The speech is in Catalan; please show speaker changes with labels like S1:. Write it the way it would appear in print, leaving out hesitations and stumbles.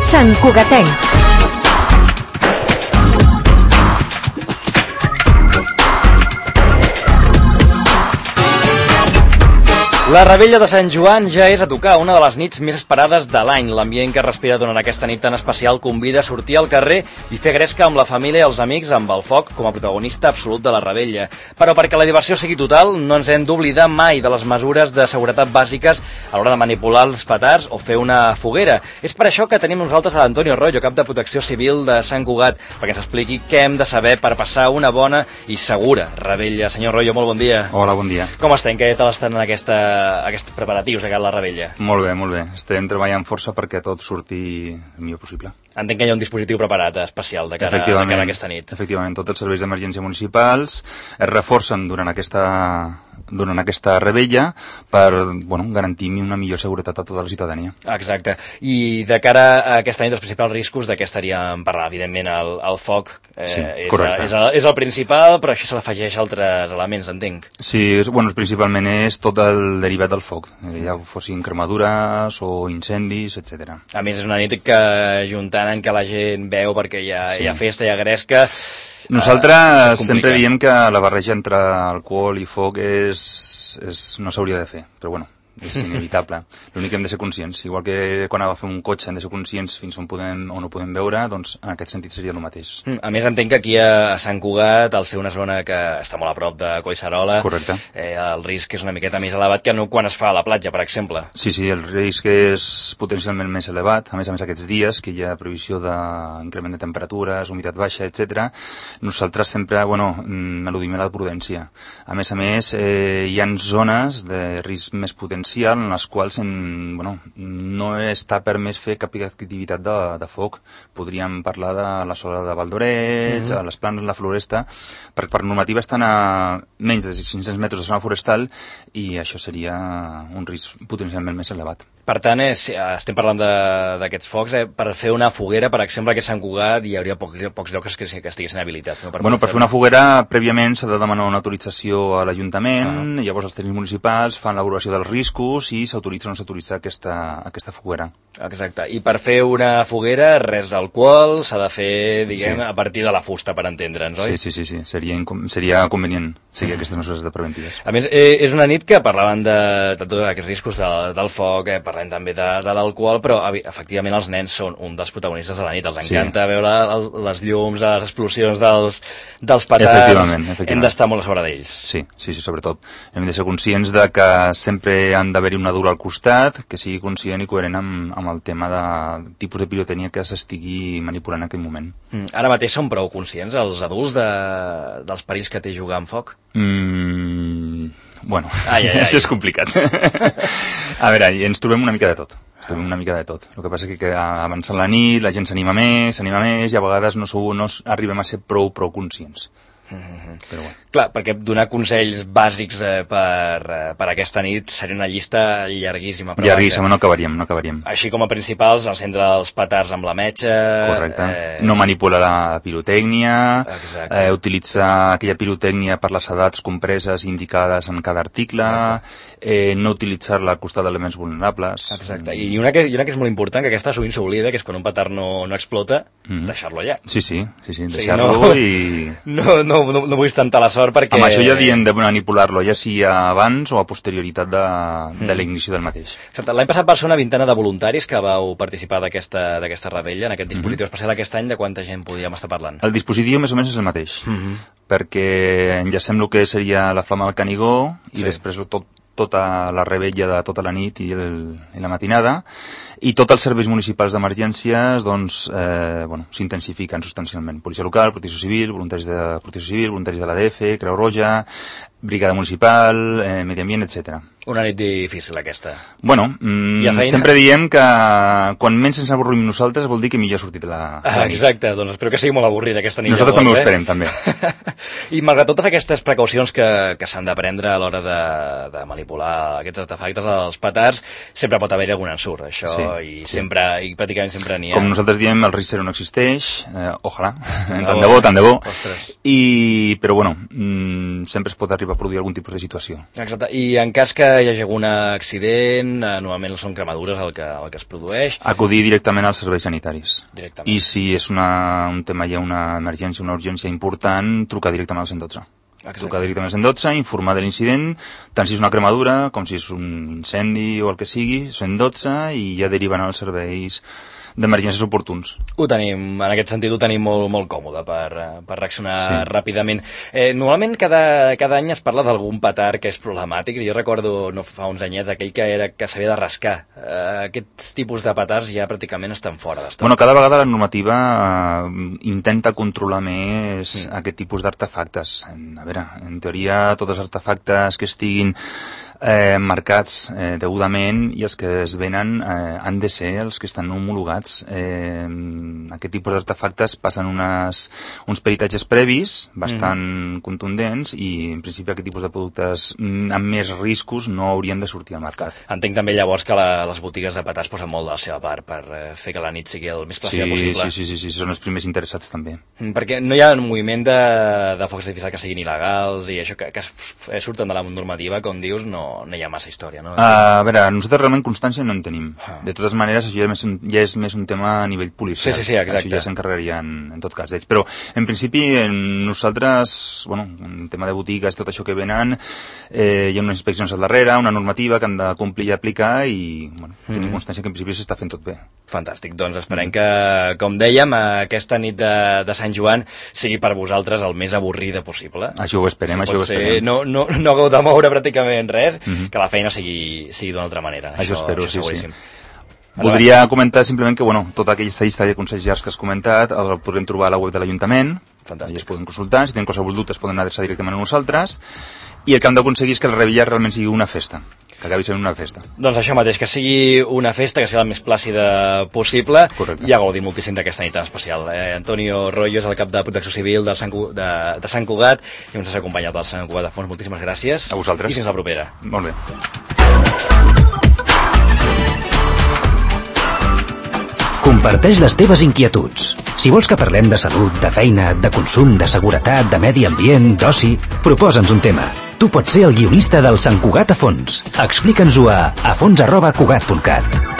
S1: Sant Cugatenc.
S2: La Revetlla de Sant Joan ja és a tocar, una de les nits més esperades de l'any. L'ambient que respira durant aquesta nit tan especial convida a sortir al carrer i fer gresca amb la família i els amics amb el foc com a protagonista absolut de la Revetlla. Però perquè la diversió sigui total, no ens hem d'oblidar mai de les mesures de seguretat bàsiques a l'hora de manipular els petards o fer una foguera. És per això que tenim nosaltres a l'Antonio Royo, cap de Protecció Civil de Sant Cugat, perquè ens expliqui què hem de saber per passar una bona i segura Revetlla. Senyor Royo, molt bon dia.
S3: Hola, bon dia.
S2: Com estem? Què tal estan aquests preparatius de cara a la Revetlla?
S3: Molt bé, molt bé. Estem treballant força perquè tot surti el millor possible.
S2: Entenc que hi ha un dispositiu preparat especial de cara a aquesta nit.
S3: Efectivament, tots els serveis d'emergència municipals es reforcen durant aquesta Revetlla per garantir una millor seguretat a tota la ciutadania.
S2: Exacte. I de cara a aquesta nit, els principals riscos de què estaríem parlant? Evidentment, el foc
S3: sí, correcte.
S2: És el principal, però això se l'afegeix altres elements, entenc.
S3: Sí, principalment és tot el derivat del foc, ja fossin cremadures o incendis, etc.
S2: A més, és una nit que, juntant en què la gent veu perquè hi ha festa, hi ha gresca...
S3: Nosaltres sempre diem que la barreja entre alcohol i foc no s'hauria de fer, però bueno, és inevitable. L'únic que hem de ser conscients, igual que quan agafem un cotxe hem de ser conscients fins on podem o no podem veure, doncs en aquest sentit seria el mateix.
S2: A més, entenc que aquí a Sant Cugat, al ser una zona que està molt a prop de Collserola,
S3: correcte,
S2: el risc és una miqueta més elevat que no quan es fa a la platja, per exemple.
S3: Sí, el risc és potencialment més elevat. A més aquests dies que hi ha previsió d'increment de temperatures, humitat baixa, etc. Nosaltres sempre, eludim la prudència. A més, hi ha zones de risc més potencial en les quals no està permès fer cap activitat de foc. Podríem parlar de la zona de Valdoreig, a les planes, la floresta, perquè per normativa estan a menys de 500 metres de zona forestal i això seria un risc potencialment més elevat.
S2: Per tant, estem parlant d'aquests focs, per fer una foguera, per exemple, que a Sant Cugat hi hauria pocs llocs que estiguessin habilitats. No?
S3: Per fer una foguera, prèviament s'ha de demanar una autorització a l'Ajuntament, llavors els tècnics municipals fan l'avaluació dels riscos i s'autoritza o no s'autoritza aquesta foguera.
S2: Exacte. I per fer una foguera, res d'alcohol, s'ha de fer, a partir de la fusta, per entendre'ns, oi?
S3: Sí. Seria convenient seguir aquestes mesures preventives.
S2: A més, és una nit que parlaven de tots aquests riscos del foc, parlem també de l'alcohol, però efectivament els nens són un dels protagonistes de la nit. Els encanta veure les llums, les explosions dels petards.
S3: Efectivament.
S2: Hem d'estar molt a sobre d'ells.
S3: Sí, sobretot. Hem de ser conscients de que sempre han d'haver-hi una dura al costat, que sigui conscient i coherent amb el tema de tipus de pirotècnia que s'estigui manipulant en aquell moment.
S2: Ara mateix són prou conscients els adults dels perills que té jugar amb foc?
S3: Això és complicat. A veure, ens trobem una mica de tot. El que passa és que avançant la nit, la gent s'anima més i a vegades no arribem a ser prou conscients. Però bueno.
S2: Clar, perquè donar consells bàsics per aquesta nit seria una llista llarguíssima.
S3: Llarguíssima, no acabaríem.
S2: Així com a principals, encendre els petards amb la metxa...
S3: Correcte. No manipular la pirotècnia, utilitzar aquella pirotècnia per les edats compreses indicades en cada article, no utilitzar-la al costat d'elements vulnerables...
S2: Exacte. I una que és molt important, que aquesta sovint s'oblida, que és quan un petard no explota, deixar-lo allà.
S3: Sí, deixar-lo i...
S2: No vull tentar la sort perquè...
S3: Amb això ja diem de manipular-lo, ja sigui abans o a posterioritat de la ignició del mateix.
S2: L'any passat va ser una vintena de voluntaris que vau participar d'aquesta Revetlla, en aquest dispositiu especial aquest any. De quanta gent podríem estar parlant?
S3: El dispositiu més o menys és el mateix, perquè enllacem el que seria la flama del Canigó i després tota la revetlla de tota la nit i la matinada, i tots els serveis municipals d'emergències s'intensifiquen substancialment. Policia local, protecció civil, voluntaris de protecció civil, voluntaris de l'ADF, Creu Roja, brigada municipal, medi ambient, etc.
S2: Una nit difícil, aquesta.
S3: Sempre diem que quan menys ens avorrim nosaltres vol dir que millor ha sortit la nit.
S2: Exacte, doncs espero que sigui molt avorrida aquesta nit.
S3: Nosaltres també ho esperem, també.
S2: I malgrat totes aquestes precaucions que s'han de prendre a l'hora de manipular aquests artefactes, els petards, sempre pot haver-hi algun ensurt, això, i pràcticament sempre n'hi ha.
S3: Com nosaltres diem, el risc zero no existeix, ojalà, tant de bo, però sempre es pot arribar a produir algun tipus de situació.
S2: Exacte, i en cas que hi hagi algun accident, normalment són cremadures el que es produeix.
S3: Acudir directament als serveis sanitaris.
S2: Directament.
S3: I si és un tema, hi ha una emergència, una urgència important, trucar directament al 112.
S2: Exacte.
S3: Trucar directament al 112, informar de l'incident, tant si és una cremadura com si és un incendi o el que sigui, 112, i ja deriven als serveis d'emergències oportuns.
S2: Ho tenim, en aquest sentit ho tenim molt còmode per reaccionar ràpidament. Normalment cada any es parla d'algun petard que és problemàtic. Jo recordo no fa uns anyets aquell que s'havia de rascar. Aquests tipus de petards ja pràcticament estan fora d'estoc.
S3: Bueno, cada vegada la normativa intenta controlar més aquest tipus d'artefactes. A veure, en teoria tots els artefactes que estiguin marcats degudament i els que es venen han de ser els que estan homologats. Aquest tipus d'artefactes passen uns peritatges previs bastant contundents i en principi aquest tipus de productes amb més riscos no haurien de sortir al mercat.
S2: Entenc també llavors que les botigues de petards posen molt de la seva part per fer que la nit sigui el més plàcida possible.
S3: Sí, són els primers interessats també.
S2: Perquè no hi ha un moviment de focs artificials que siguin il·legals i això que surten de la normativa, com dius, no hi ha massa història, no?
S3: A veure, nosaltres realment constància no en tenim. De totes maneres, això ja és més un tema a nivell policial.
S2: Sí, exacte.
S3: Això ja s'encarregarien, en tot cas, d'ells. Però, en principi, nosaltres, en tema de botigues, tot això que venen, hi ha unes inspeccions al darrere, una normativa que han de complir i aplicar i tenim constància que en principi s'està fent tot bé.
S2: Fantàstic. Doncs esperem que, com dèiem, aquesta nit de Sant Joan sigui per vosaltres el més avorrida possible.
S3: Això ho esperem, això ho esperem.
S2: No hagueu de moure pràcticament res, que la feina sigui d'una altra manera.
S3: Això espero, sí. Voldria comentar simplement que tota aquesta llista de consells llargs que has comentat el podrem trobar a la web de l'Ajuntament.
S2: Fantàstic.
S3: Es poden consultar, si tenen qualsevol dubte es poden adreçar directament a nosaltres, i el que hem d'aconseguir és que la Revilla realment sigui una festa, que acabi sent una festa.
S2: Doncs això mateix, que sigui una festa, que sigui la més plàcida possible.
S3: Correcte.
S2: I a gaudir moltíssim d'aquesta nit tan especial. Antonio Rollo és el cap de Protecció Civil de Sant Cugat i ens has acompanyat del Sant Cugat de Fons. Moltíssimes gràcies.
S3: A vosaltres.
S2: I fins la propera.
S3: Molt bé.
S1: Comparteix les teves inquietuds. Si vols que parlem de salut, de feina, de consum, de seguretat, de medi ambient, d'oci, proposa'ns un tema. Tu pots ser el guionista del Sant Cugat a Fons. Explica'ns-ho a fons@cugat.cat.